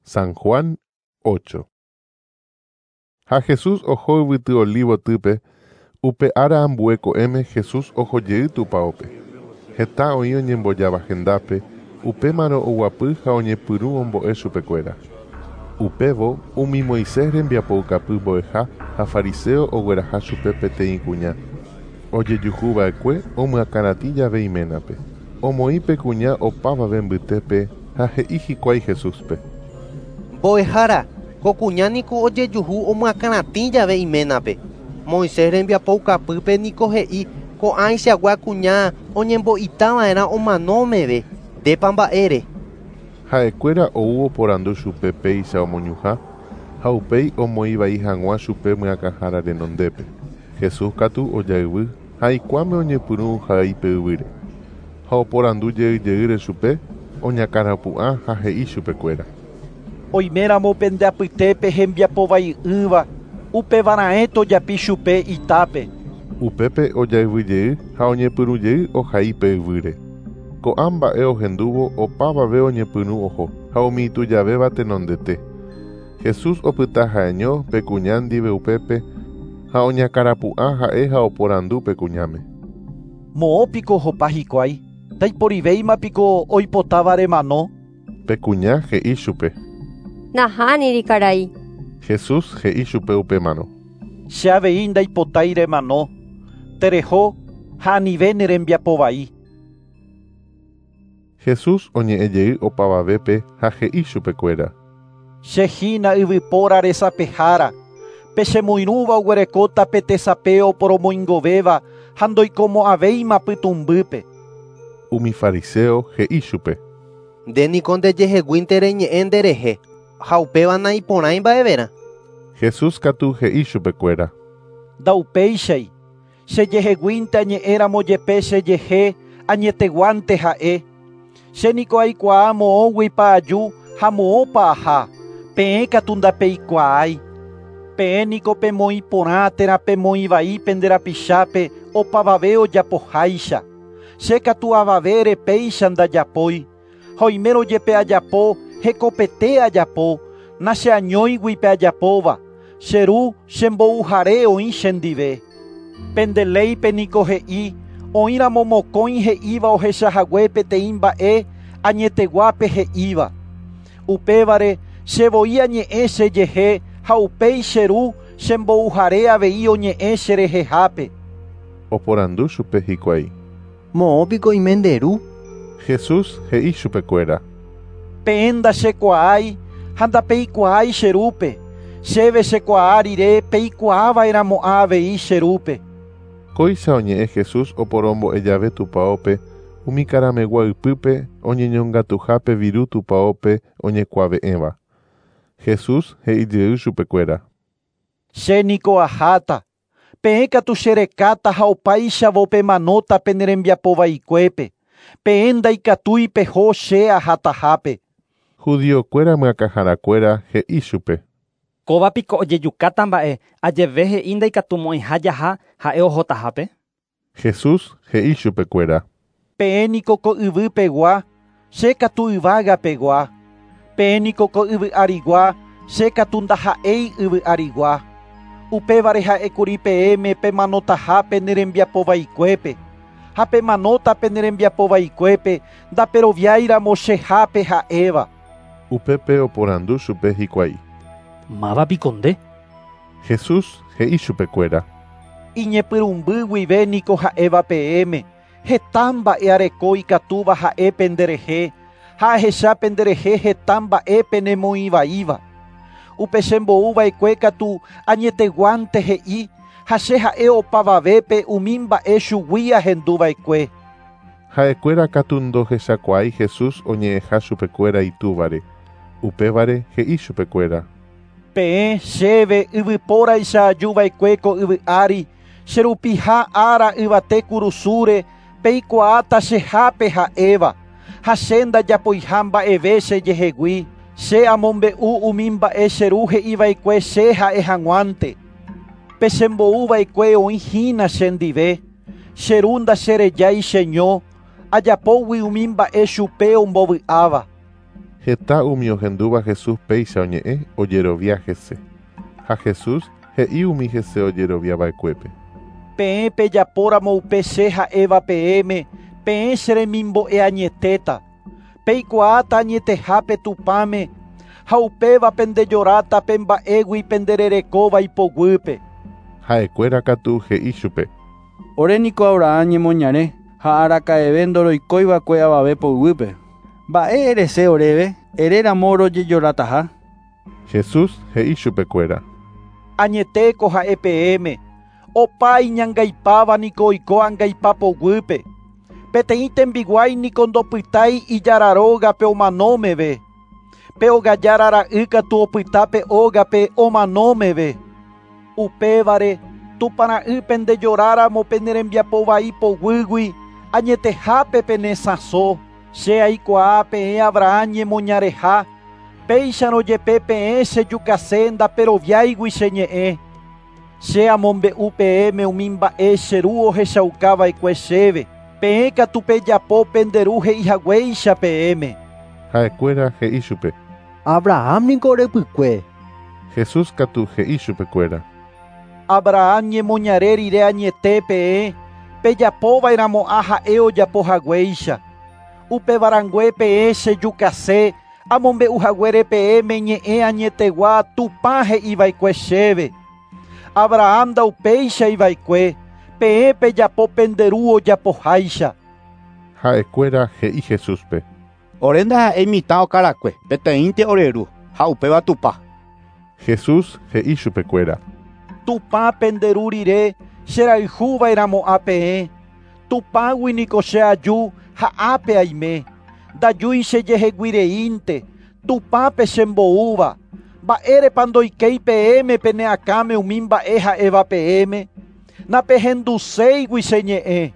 San Juan 8. Ha Jesús oho yvyty Olivotýpe, upe ára ambue ko'ẽme Jesús ohojey tupãópe. Heta oĩ oñembojáva hendápe, upémarõ oguapy ha oñepyrũ ombo'e chupekuéra. Upévo, umi Moisés rembiapoukapy mbo'eha ha fariseo ogueraha chupe peteĩ kuña. Ojejuhuva'ekue omyakãratĩ jave iménape. Omoĩ pe kuña opavave mbytépe ha he'i hikuái Jesúspe. Mbo'ehára, ko kuña niko ojejuhu omyakãratĩ jave iménape. Moisés rembiapoukapýpe niko he'i ko'ãichagua kuña oñembo'itava'erã omano meve. Ndépa mba'ére. Ha'ekuéra ou oporandu chupe péicha omoñuhã ha upéi omoĩvai hag̃ua chupe myakãhára renondépe. Jesús katu ojayvy ha ikuãme oñepyrũ ohai pe yvýre. Ha oporandu jeyjeýre chupe oñakãrapu'ã ha he'i chupekuéra. Oiméramo pende apytépe hembiapovai'ỹva upevarãe tojapi chupe itápe. Upépe ojayvyjey ha oñepyrũjey ohai pe yvýre. Ko'ã mba'e ohendúvo opavave oñepyrũ oho ha umi itujavéva tenondete. Jesús opyta ha'eño pe kuña ndive upépe ha oñakãrapu'ã ha'e ha oporandu pe kuñáme. Moõpiko ohopa hikuái, ndaiporivéimapiko oipotáva remano. Pe kuña he'i chupe. Nahániri karai. Jesús he'i chupe upémarõ. Che avei ndaipotái remano. Tereho ha anive ne rembiapovai. Jesús oñe'ẽjey opavavépe ha he'i chupekuéra. Che hína yvypóra resapehára. Pe chemoirũva oguerekóta pe tesape oporomoingovéva ha ndoikomo'ãvéima pytũmbýpe. Umi fariseo he'i chupe. Nde niko ndejeheguínte reñe'ẽ nderehe ha upéva naiporãi mba'everã. Jesús katu he'i chupekuéra. Ndaupéichai. Chejeheguínte añe'ẽramo jepe chejehe añeteguánte ha'e. Che niko aikuaa moõguipa aju ha moõpa aha. Peẽ katu ndapeikuaái. Peẽ niko pemoĩ porã térã pemoĩ vai pende rapichápe opavave ojapoháicha. Che katu avavére péicha ndajapói. Ha oimérõ jepe ajapo hekopete ajapo, nacheañóigui pe ajapóva. Che ru chembouhare oĩ chendive. Pende léipe niko he'i oĩramo mokõi he'íva ohechahague peteĩ mba'e añeteguápe he'íva. Upévare chevoi añe'ẽ chejehe ha upéi che ru chembouhare avei oñe'ẽ cherehehápe. Oporandu chupe hikuái. Moõpiko oime nde ru. Jesús he'i chupekuéra. Peẽ ndachekuaái ha ndapeikuaái che rúpe. Chéve chekuaa rire peikuaava'erãmo'ã avei che rúpe. Kóicha oñe'ẽ Jesús oporombo'e jave tupãópe umi karamegua ypýpe oñeñongatuhápe viru tupãópe oñekuave'ẽva. Jesús he'ijey chupekuéra. Che niko aháta. Peẽ katu cherekáta ha opáichavo pemanóta pene rembiapovaikuépe. Peẽ ndaikatúi peho che ahatahápe. Judiokuéra myakãharakuéra he'i chupe. Kóvapiko ojejukáta mba'e ajeve he'i ndaikatumo'ãiha jaha ha'e ohotahápe. Jesús he'i chupekuéra. Peẽ niko ko yvýpegua, che katu yvágapegua. Peẽ niko ko yvy arigua, che katu ndaha'éi yvy arigua. Upévare ha'ékuri peẽme pemanotaha pene rembiapovaikuépe. Ha pemanóta pene rembiapovaikuépe ndaperoviáiramo chehápe ha'éva. Upépe oporandu chupe hikuái. Mávapiko nde. Jesús he'i chupekuéra. Iñepyrũmby guive niko ha'éva peẽme. Heta mba'e areko ikatúva ha'e penderehe ha ahecha penderehe heta mba'e penemoĩvaíva. Upe chembouva'ekue katu añeteguánte he'i ha che ha'e opavavépe umi mba'e chugui ahenduva'ekue. Ha'ekuéra katu ndohechakuaái Jesús oñe'ẽha chupekuéra itúvare. Upévare he'i chupekuéra. Peẽ chéve yvypóraicha ajuva'ekue ko yvy ári, cherupiha ára yvate kurusúre peikuaáta chehápe ha'éva. Ha che ndajapoiha mba'eve chejehegui. Che amombe'u umi mba'e che ru he'iva'ekue che ha'e hag̃uánte. Pe chembouva'ekue oĩhína chendive. Che ru ndacherejái cheño, ajapógui umi mba'e chupe ombovy'áva. Heta umi ohendúva Jesús péicha oñe'ẽ ojerovia hese. Ha Jesús he'i umi hese ojeroviava'ekuépe. Peẽ pejapóramo upe che ha'éva peẽme, peẽ che remimbo'e añetéta. Peikuaáta añetehápe Tupãme, ha upéva pendejoráta pe mba'égui pendererekóva ipoguýpe. Ha'ekuéra katu he'i chupe. Ore niko Abraham ñemoñare ha araka'eve ndoroikóiva'ekue avave poguýpe. Mba'e erese oréve, eréramo rojejorataha. Jesús he'i chupekuéra. Añetéko ha'e peẽme, opa iñangaipáva niko oiko angaipa poguýpe. Peteĩ tembiguái niko ndopytái ijára rógape omanómeve. Pe ogajára ra'y katu opyta pe ógape omanómeve. Upévare, Tupã ra'y pendejoráramo penerembiapovai poguýgui, añetehápe penesãso. Che aikuaa peẽ Abraham ñemoñareha, péicharõ jepe peẽ chejukase ndaperoviáigui che ñe'ẽ. Che amombe'u peẽme umi mba'e che ru ohechaukava'ekue chéve. Peẽ katu pejapo pende ru he'ihaguéicha peẽme. Ha'ekuéra he'i chupe. Abraham niko orepykue. Jesús katu he'i chupekuéra. Abraham ñemoñare rire añete peẽ, pejapova'erãmo'ã ha'e ojapohaguéicha. Upevarãngue peẽ chejukase, amombe'uhaguére peẽme ñe'ẽ añetegua Tupã he'iva'ekue chéve. Abraham ndaupeichaiva'ekue, peẽ pejapo pende ru ojapoháicha. Ha'ekuéra he'i Jesúspe. Ore ndaha'éi mitã okarakue, peteĩnte ore ru, ha upéva Tupã. Jesús he'i chupekuéra. Tupã pende ru rire cherayhuva'erãmo'ã peẽ. Tupãgui niko che aju ha ápe aime. Ndajúi chejeheguireínte, Tupãpe chemboúva. Mba'érepa ndoikéi peẽme pene akãme umi mba'e ha'éva peẽme. Napehenduséigui che ñe'ẽ.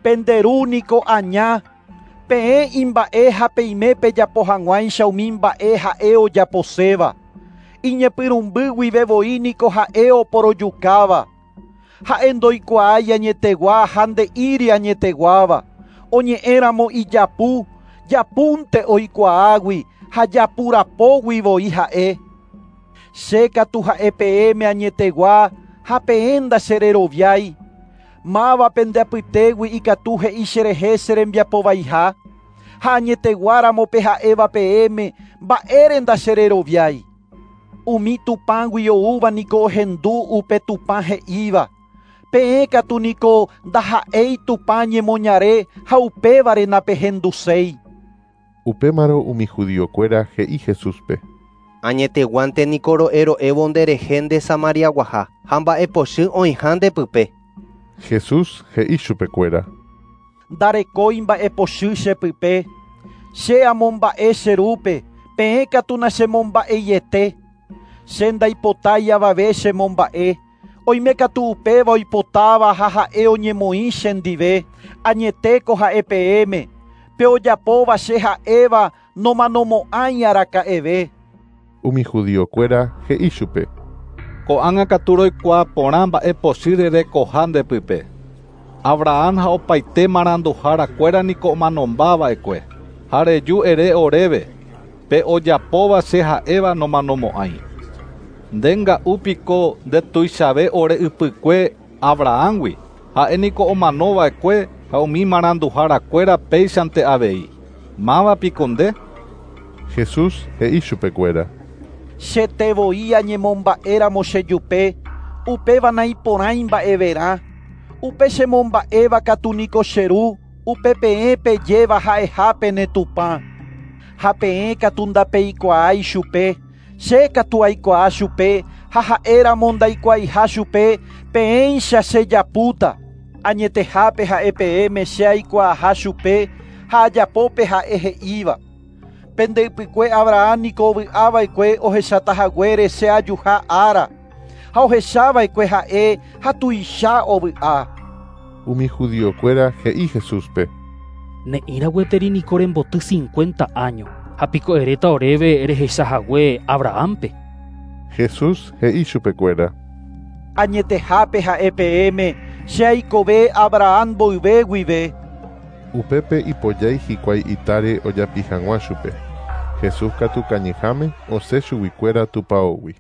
Pende ru niko aña. Peẽ imba'e ha peime pejapo hag̃uáicha umi mba'e ha'e ojaposéva. Iñepyrũmby guive voi niko ha'e oporojukáva. Ha'e ndoikuaái añetegua ha nde'íri añeteguáva. Oñe'ẽramo ijapu, japúnte oikuaágui ha japurapógui voi ha'e. Che katu ha'e peẽme añetegua ha peẽ ndachereroviái. Máva pende apytégui ikatu he'i cherehe cherembiapovaiha. Ha añeteguáramo pe ha'éva peẽme mba'ére ndachereroviái. Umi Tupãgui oúva niko ohendu upe Tupã he'íva. Peẽ katu niko ndaha'éi Tupã ñemoñare ha upévare napehenduséi. Upémarõ umi judiokuéra he'i Jesúspe. Añeteguánte niko ro'ero'évo nderehe nde Samariaguaha ha mba'epochy oĩha ndepype. Jesús he'i chupekuéra. Ndarekói mba'epochy chepype. Che amomba'e che rúpe, peẽ katu nachemomba'eiete. Che ndaipotái avave chemomba'e. Oime katu upéva oipotáva ha ha'e oñemoĩ chendive. Añetéko ha'e peẽme. Pe ojapóva che ha'éva nomanomo'ãi araka'eve. Umi judiokuéra he'i chupe. Ko'ág̃a katu roikuaa porã mba'epochy rerekoha ndepype. Abraham ha opaite maranduharakuéra niko omanombava'ekue. Ha reju ere oréve, pe ojapóva che ha'éva nomanomo'ãi. Nde nga'úpiko ndetuichave ore ypykue Abrahamgui, ha'e niko omanova'ekue ha umi maranduharakuéra péichante avei. Mávapiko nde? Jesús he'i chupekuéra. Chete voi añemomba'éramo chejupe, upéva naiporãi mba'everã. Upe chemomba'éva katu niko che ru, upe peẽ pejéva ha'eha pene Tupã. Ha peẽ katu ndapeikuaái chupe, che katu aikuaa chupe, ha ha'éramo ndaikuaaiha chupe, peẽicha chejapúta. Añetehápe ha'e peẽme che aikuaaha chupe, ha ajapópe ha'e he'íva. Pende ypykue Abraham niko ovy'ava'ekue ohechatahaguére che ajuha ára. Ha ohechava'ekue ha'e ha tuicha ovy'a. Umi judiokuéra he'i Jesúspe. Ne'ĩra gueteri niko remboty 50 años. Ha piko eréta oréve rehechahague Abrahampe. Jesús he'i chupekuéra. Añetehápe ha'e peẽme, che aikove Abraham mboyve guive. Upépe ipojái hikuái itáre ojapi hag̃ua chupe. Jesús katu kañyháme osẽ chuguikuéra tupãógui.